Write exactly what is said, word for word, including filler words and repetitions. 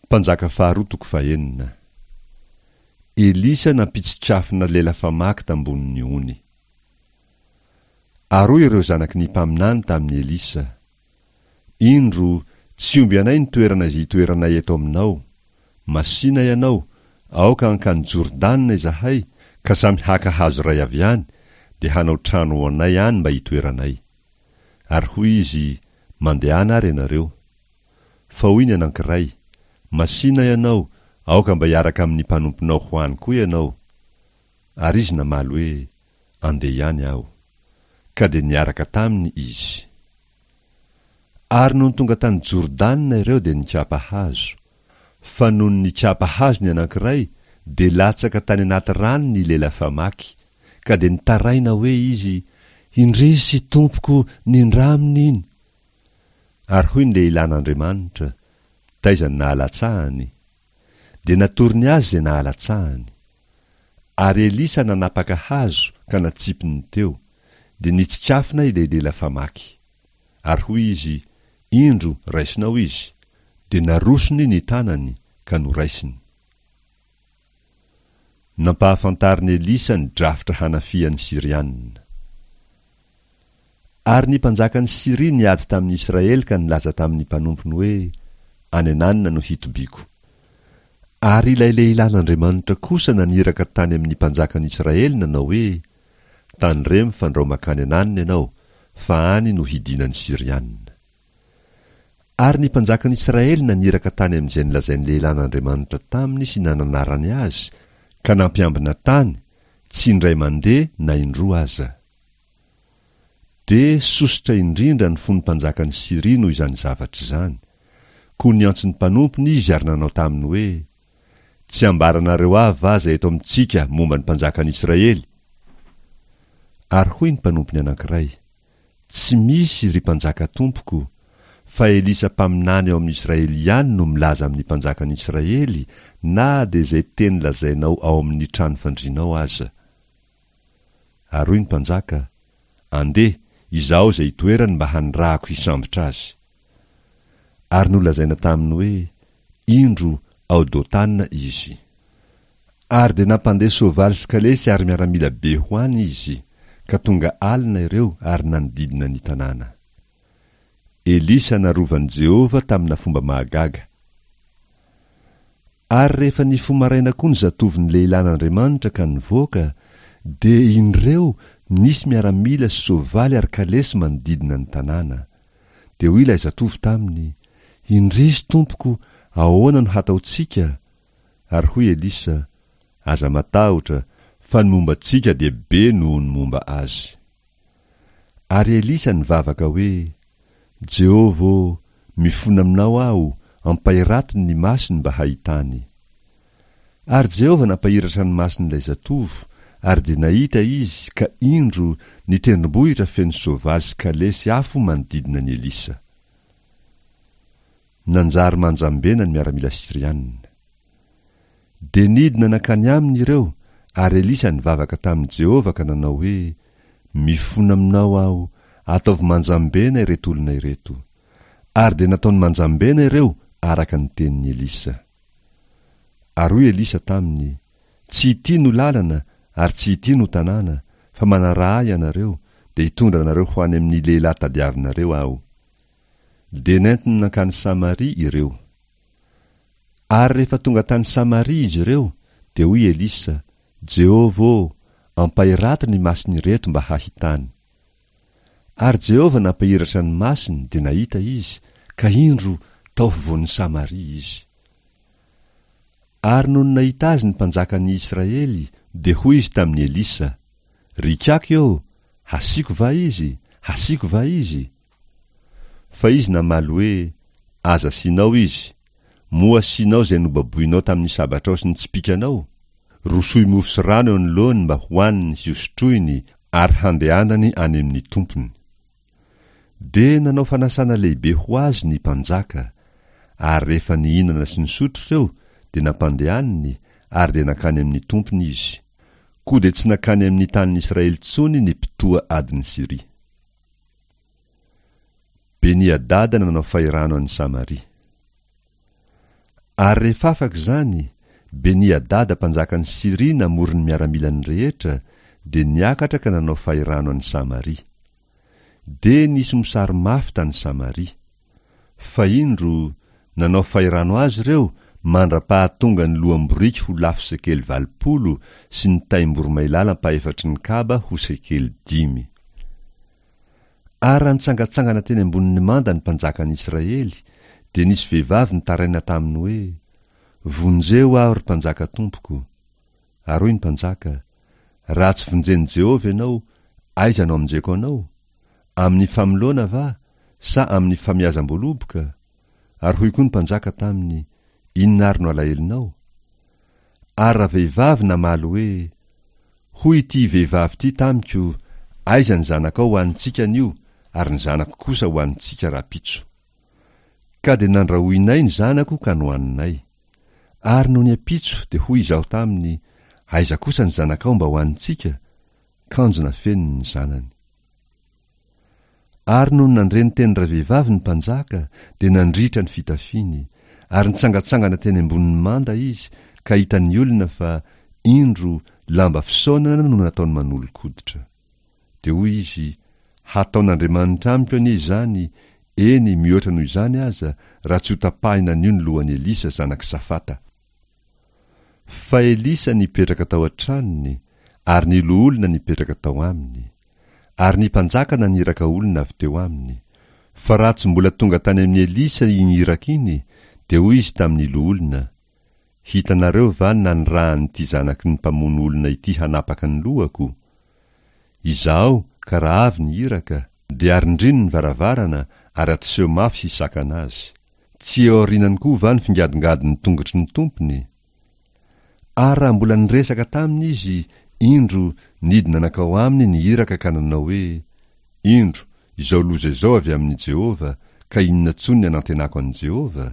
Mpanjaka faharoa toko fahenina. Elisa nampitsikafona lela famaky tambonin'ny ony. Ary hoy ireo zanaky ny mpaminany tamin'i Elisa, Indro, tsy omby anay ny toerana izay itoeranay eto aminao. Masìna ianao, aoka hankany Jordana izahay, ka samy haka hazo iray avy any, dia hanao trano ho anay any mba hitoeranay. Ary hoy izy, Mandehana ary ianareo. Fa hoy ny anankiray, Masìna ianao, aoka mba hiaraka amin'ny mpanomponao ho any koa ianao. Ary izy namaly hoe, Andeha ihany aho. Ka dia niaraka taminy izy. Ary nony tonga tany Jordana ireo dia nikapa hazo. Fa nony nikapa hazo ny anankiray, dia latsaka tany anaty rano ny lela famaky, ka dia nitaraina hoe izy, Indrisy, tompoko, nindraminy iny! Ary hoy ny lehilahin'Andriamanitra, Taiza no nahalatsahany? Dia natorony azy izay nahalatsahany. Ary Elisa nanapaka hazo ka natsipiny teo, dia nitsikafona ilay lela famaky. Ary hoy izy, Indro, raisinao izy. Dia narosony ny tanany, ka noraisiny. Nampahafantarin'i Elisa ny drafitra hanafihan'ny Syriana. Ary ny mpanjakan'i Syria niady tamin'ny Israely ka nilaza tamin'ny mpanompony hoe, Any an'anona no hitobiako. Ary ilay lehilahin'Andriamanitra kosa naniraka tany amin'ny mpanjakan'i Israely nanao hoe, Tandremo fandrao makany an'anona ianao, fa any no hidinan'ny Syriana. Ary ny mpanjakan'i Israely naniraka tany amin'izay nolazain'ny lehilahin'Andriamanitra taminy sy nananarany azy, ka nampiambina tany, tsy indray mandeha na indroa aza. Dia sosotra indrindra ny fon'ny mpanjakan'i Syria noho izany zavatra izany. Koa niantso ny mpanompony izy ary nanao taminy hoe, Tsy ambaranareo ahy va izay eto amintsika momba ny mpanjakan'i Israely? Ary hoy ny mpanompony anankiray, Tsy misy, ry mpanjaka tompoko, fa Elisa mpaminany ao amin'i Israely ihany no milaza amin'ny mpanjakan'i Israely na dia izay teny lazainao ao amin'ny trano fandrianao aza. Ary hoy ny mpanjaka, Andeha, izaho izay itoerany mba hanirahako hisambotra azy. Ary nolazaina taminy hoe, Indro, ao Dotana izy. Ary dia nampandeha soavaly sy kalesy ary miaramila be ho any izy, ka tonga alina ireo ary nanodidina ny tanàna. Elisa narovan'i Jehovah tamina fomba mahagaga. Ary rehefa nifoha maraina koa ny zatovon'ny lehilahin'Andriamanitra ka nivoaka, dia indreo nisy miaramila sy soavaly ary kalesy manodidina ny tanàna. Dia hoy ilay zatovo taminy, Indrisy, tompoko, ahoana no hataontsika? Ary hoy Elisa, Aza matahotra, fa ny momba antsika dia be noho ny momba azy. Ary Elisa nivavaka hoe, Jehovah ô, mifona aminao aho, ampahiratony ny masony mba hahitany. Ary Jehovah nampahiratra ny mason'ilay zatovo, ary dia nahita izy, ka indro, ny tendrombohitra feno soavaly sy kalesy afo manodidina an'i Elisa. Nanjary manjambena ny miaramila syriana. Dia nidina nankany aminy ireo, ary Elisa nivavaka tamin'i Jehovah ka nanao hoe, Mifona aminao aho, ataovy manjambena ireto olona ireto. Ary dia nataony manjambena ireo araka ny tenin'i Elisa. Ary hoy Elisa taminy, Tsy ity no lalana ary tsy ity no tanàna, fa manaraha ahy ianareo, dia hitondra anareo ho any amin'ny lehilahy tadiavinareo aho. Dia nentiny nankany Samaria ireo. Ary rehefa tonga tany Samaria izy ireo, dia hoy Elisa, Jehovah ô, ampahirato ny mason'ireto mba hahitany. Ary Jehovah nampahiratra ny masony, dia nahita izy, ka indro, tao afovoan'i Samaria izy. Ary nony nahita azy ny mpanjakan'ny Israely, dia hoy izy tamin'i Elisa, Ry ikaky ô, hasiako va izy? Hasiako va izy? Fa izy namaly hoe, Aza asianao izy. Moa asianao izay nobaboinao tamin'ny sabatrao sy ny tsipìkanao? Rosoy mofo sy rano eo anoloany mba hohaniny sy hosotroiny ary handehanany any amin'ny tompony. Dia nanao fanasana lehibe ho azy ny mpanjaka. Ary rehefa nihinana sy nisotro ireo, dia nampandehaniny, ary dia nankany amin'ny tompony izy. Koa dia tsy nankany amin'ny tanin'i Israely intsony ny mpitoha adin'i Syria. Beni-Hadada nanao fahirano an'i Samaria. Ary rehefa afaka izany, Beni-Hadada mpanjakan'i Syria namory ny miaramilany rehetra, dia niakatra ka nanao fahirano an'i Samaria. Dia nisy mosary mafy tany Samaria. Fa indro, nanao fahirano azy ireo mandra-pahatonga ny loham-boriky ho lafo sekely valopolo sy ny taim-boromailala ampahefatry ny kaba ho sekely dimy. Ary raha nitsangantsangana teny ambonin'ny manda ny mpanjakan'ny Israely, dia nisy vehivavy nitaraina taminy hoe, Vonjeo aho, ry mpanjaka tompoko. Ary hoy ny mpanjaka, Raha tsy vonjen'i Jehovah ianao, aiza no hamonjeko anao? Amin'ny famoloana va, sa amin'ny famiazam-boaloboka? Ary hoy koa ny mpanjaka taminy, Inona ary no alahelonao? Ary ravehivavy namaly hoe, Hoy ity vehivavy ity tamiko, Aiza ny zanakao hohanintsika anio, ary ny zanako kosa hohanintsika rahampitso. Ka dia nandrahoinay ny zanako ka nohaninay. Ary nony ampitso dia hoy izaho taminy, Aiza kosa ny zanakao mba hohanintsika? Kanjo nafeniny ny zanany. Ary nony nandre ny tenin-dravehivavy ny mpanjaka, dia nandritra ny fitafiany, ary nitsangantsangana teny ambonin'ny manda izy, ka hitan'ny olona fa, indro, lamba fisaonana no nataony manolo-koditra. Dia hoy izy, Hataon'Andriamanitra amiko anie izany, eny, mihoatra noho izany aza, raha tsy hotapahina anio ny lohan'i Elisa zanak'i Safata. Fa Elisa nipetraka tao an-tranony, ary ny loholona nipetraka tao aminy. Ary ny mpanjaka naniraka olona avy teo aminy. Fa raha tsy mbola tonga tany amin'i Elisa iny iraka iny, dia hoy izy tamin'ny loholona, Hitanareo va ny nanirahan'ity zanaky ny mpamono olona ity hanapaka ny lohako? Izahao, ka raha avy ny iraka, dia arindrino ny varavarana ary atoseho mafy hisakana azy. Tsy eo aorianany koa va ny fingadongadon'ny tongotry ny tompony? Ary raha mbola niresaka taminy izy, indro, nidina nankao aminy ny iraka ka nanao hoe, Indro, izao loza izao avy amin'i Jehovah, ka inona intsony ny anantenako an'i Jehovah?